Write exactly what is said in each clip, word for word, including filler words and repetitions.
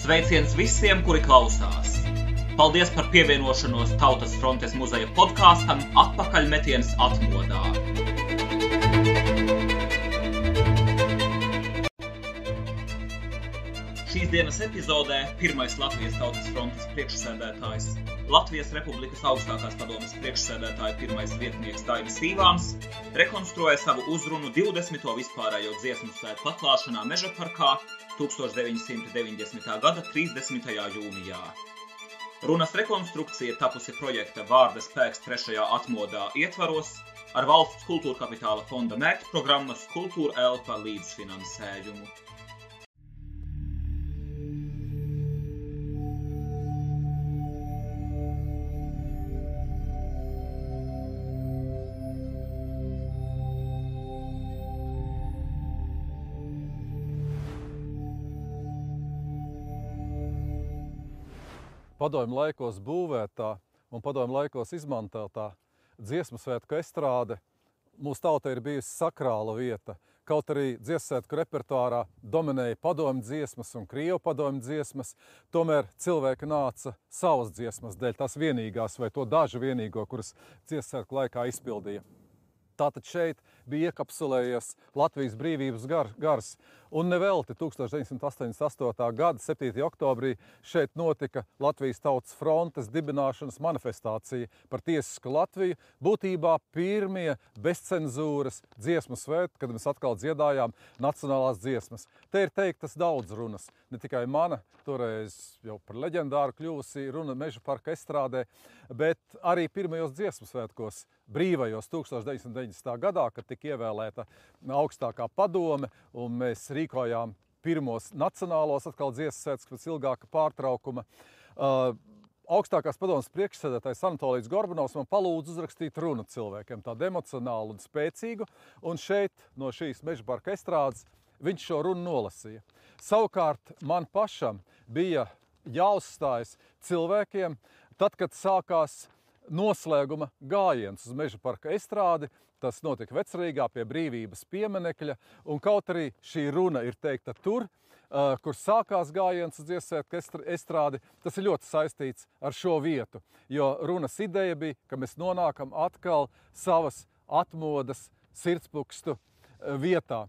Sveiciens visiem, kuri klausās! Paldies par pievienošanos Tautas frontes muzeja podkāstam Atpakaļmetiens atmodā. Šīs dienas epizodē pirmais Latvijas Tautas frontes priekšsēdētājs, Latvijas Republikas augstākās padomes priekšsēdētāja pirmais vietnieks Daivis Tīvāns rekonstruēja savu uzrunu divdesmito vispārējo dziesmu svētku atklāšanā Mežaparkā tūkstoš deviņi simti deviņdesmitā gada trīsdesmitajā jūnijā. Runas rekonstrukcija tapusi projekta Vārda spēks trešajā atmodā ietvaros ar Valsts kultūra kapitāla fonda mērķprogrammas Kultūra Elpa līdzfinansējumu. Padomju laikos būvētā un padomju laikos izmantotā dziesmu svētku estrāde mūsu tautai ir bijusi sakrāla vieta. Kaut arī dziesmu svētku repertuārā dominēja padomju dziesmas un krievu padomju dziesmas, tomēr cilvēki nāca savas dziesmas dēļ, tās vienīgās vai to dažu vienīgo, kuras dziesmu svētku laikā izpildīja. Tātad šeit bija iekapsulējies Latvijas brīvības gar, gars. Un nevelti tūkstoš deviņi simti astoņdesmit astotā gada septītajā oktobrī šeit notika Latvijas Tautas frontes dibināšanas manifestācija par tiesisku Latviju. Būtībā pirmie bezcenzūras dziesmu svētki, kad mēs atkal dziedājām nacionālās dziesmas. Te ir teiktas daudz runas, ne tikai mana, toreiz jau par leģendāru kļuvusi runa Mežaparka estrādē, bet arī pirmajos dziesmu svētkos, brīvajos tūkstoš deviņi simti deviņdesmitā gadā, kad tika ievēlēta augstākā padome, un mēs rīkojām pirmos nacionālos atkal dziesmu svētkus pēc ilgāka pārtraukuma. Uh, augstākās padomes priekšsēdētājs Anatolijs Gorbanovs man palūdza uzrakstīt runu cilvēkiem, tādu emocionālu un spēcīgu, un šeit no šīs Mežaparka estrādes viņš šo runu nolasīja. Savukārt man pašam bija jāuzstājas cilvēkiem, tad, kad sākās noslēguma gājiens uz Mežaparka estrādi. Tas notika Vecrīgā pie Brīvības pieminekļa, un kaut arī šī runa ir teikta tur, uh, kur sākās gājiens uz dziesmu svētku estrādi, tas ir ļoti saistīts ar šo vietu, jo runas ideja bija, ka mēs nonākam atkal savas atmodas sirdspukstu uh, vietā.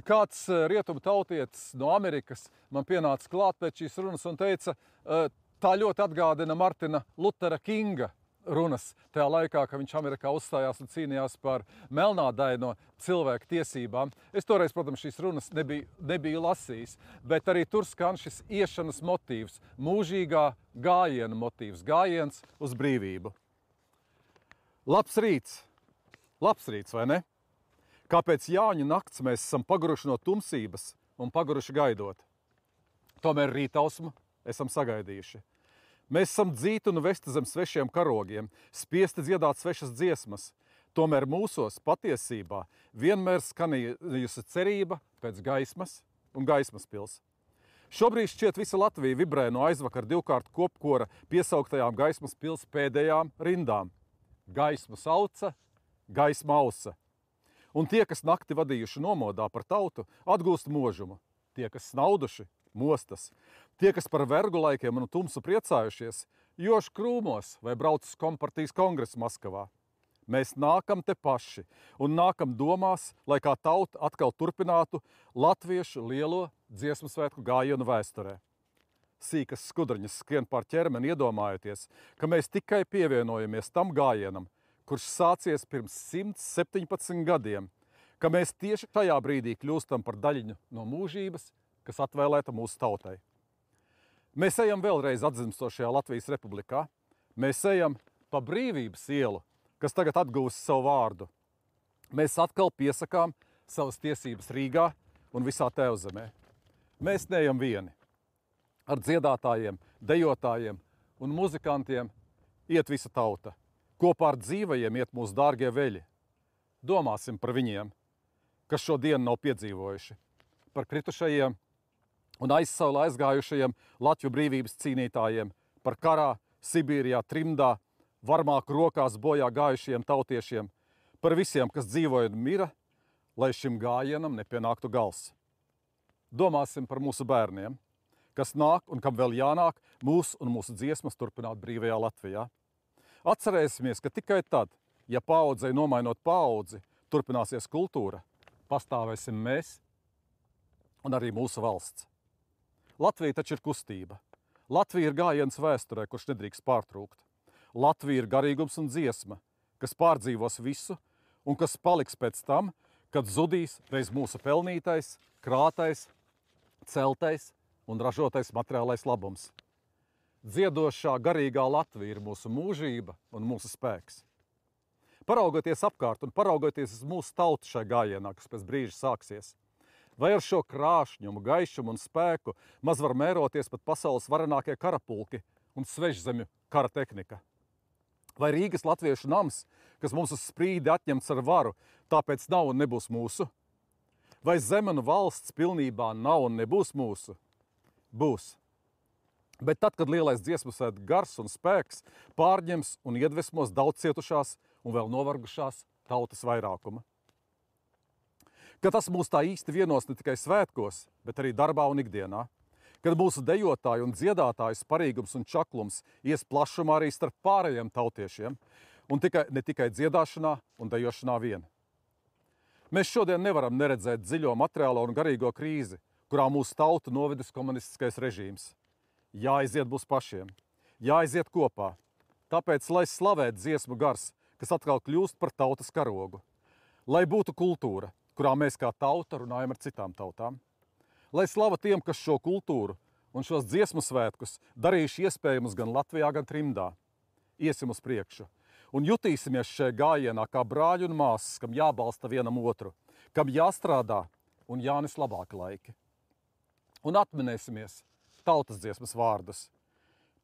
Kāds uh, rietumu tautietis no Amerikas man pienāca klāt pēc šīs runas un teica, uh, tā ļoti atgādina Martina Lutera Kinga runas tajā laikā, kad viņš Amerikā uzstājās un cīnījās par melnādaino cilvēku tiesībām. Es toreiz, protams, šīs runas nebiju, nebiju lasījis, bet arī tur skan šis iešanas motīvs, mūžīgā gājiena motīvs, gājiens uz brīvību. Labs rīts, labs rīts, vai ne? Kāpēc Jāņu nakts mēs esam paguruši no tumsības un paguruši gaidot? Tomēr rītausmu esam sagaidījuši. Mēs esam dzīti un vesti zem svešiem karogiem, spiesti dziedāt svešas dziesmas. Tomēr mūsos patiesībā vienmēr skanījusi cerība pēc gaismas un gaismas pils. Šobrīd šķiet visa Latvija vibrē no aizvakar divkārt kopkora piesauktajām gaismas pils pēdējām rindām. Gaismu sauca, gaisma ausa. Un tie, kas nakti vadījuši nomodā par tautu, atgūst možumu. Tie, kas snauduši, mostas. Tie, kas par vergu laikiem un tumsu priecājušies, joši krūmos vai brauc uz kompartijas kongresu Maskavā. Mēs nākam te paši un nākam domās, lai kā tauta atkal turpinātu latviešu lielo dziesmu svētku gājienu vēsturē. Sīkas skudriņas skrien pār ķermeni iedomājoties, ka mēs tikai pievienojamies tam gājienam, kurš sācies pirms simt septiņpadsmit gadiem, ka mēs tieši šajā brīdī kļūstam par daļiņu no mūžības, kas atvēlēta mūsu tautai. Mēs ejam vēlreiz atzimstošajā Latvijas republikā. Mēs ejam pa Brīvības ielu, kas tagad atgūst savu vārdu. Mēs atkal piesakām savas tiesības Rīgā un visā Tēvzemē. Mēs neejam vieni. Ar dziedātājiem, dejotājiem un muzikantiem iet visa tauta. Kopā ar dzīvajiem iet mūsu dārgie veļi. Domāsim par viņiem, kas šo dienu nav piedzīvojuši. Par kritušajiem un aizsaulē aizgājušajiem Latviju brīvības cīnītājiem, par karā, Sibīrijā, trimdā, varmāku rokās bojā gājušajiem tautiešiem, par visiem, kas dzīvoja un mira, lai šim gājienam nepienāktu gals. Domāsim par mūsu bērniem, kas nāk un kam vēl jānāk, mūsu un mūsu dziesmas turpināt brīvajā Latvijā. Atcerēsimies, ka tikai tad, ja paaudzei nomainot paudzi, turpināsies kultūra, pastāvēsim mēs un arī mūsu valsts. Latvija taču ir kustība. Latvija ir gājiens vēsturē, kurš nedrīkst pārtrūkt. Latvija ir garīgums un dziesma, kas pārdzīvos visu un kas paliks pēc tam, kad zudīs reiz mūsu pelnītais, krātais, celtais un ražotais materiālais labums. Dziedošā garīgā Latvija ir mūsu mūžība un mūsu spēks. Paraugoties apkārt un paraugoties uz mūsu tautu šai gājienā, kas pēc brīža sāksies, vai ar šo krāšņumu, gaišumu un spēku maz var mēroties pat pasaules varenākie karapulki un svešzemju kara tehnika? Vai Rīgas latviešu nams, kas mums uz sprīdi atņemts ar varu, tāpēc nav un nebūs mūsu? Vai zeme un valsts pilnībā nav un nebūs mūsu? Būs. Bet tad, kad lielais dziesmu svētku gars un spēks pārņems un iedvesmos daudz cietušās un vēl novargušās tautas vairākuma. Kad tas mūs tā īsti vienos ne tikai svētkos, bet arī darbā un ikdienā. Kad mūsu dejotāju un dziedātāju sparīgums un čaklums ies plašumā arī starp pārējiem tautiešiem un tikai, ne tikai dziedāšanā un dejošanā vien. Mēs šodien nevaram neredzēt dziļo materiālo un garīgo krīzi, kurā mūsu tautu novedis komunistiskais režīms. Jāaiziet būs pašiem, jāaiziet kopā. Tāpēc, lai slavētu dziesmu gars, kas atkal kļūst par tautas karogu. Lai būtu kultūra, kurā mēs kā tauta runājam ar citām tautām. Lai slava tiem, kas šo kultūru un šos dziesmu svētkus darījuši iespējamus gan Latvijā, gan trimdā. Iesim uz priekšu un jutīsimies šajā gājienā kā brāļi un māsas, kam jābalsta vienam otru, kam jāstrādā un jānes labāki laiki. Un atminēsimies tautas dziesmas vārdus.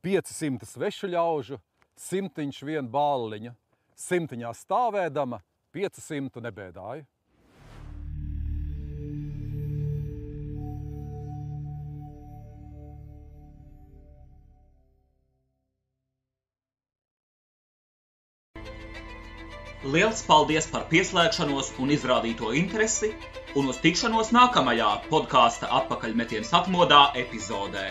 Pieci simti svešu ļaužu, simtiņš vien bāliņu, simtiņā stāvēdama, piecu simtu nebēdāju. Liels paldies par pieslēgšanos un izrādīto interesi, un uz tikšanos nākamajā podkāsta Atpakaļmetiens atmodā epizodē.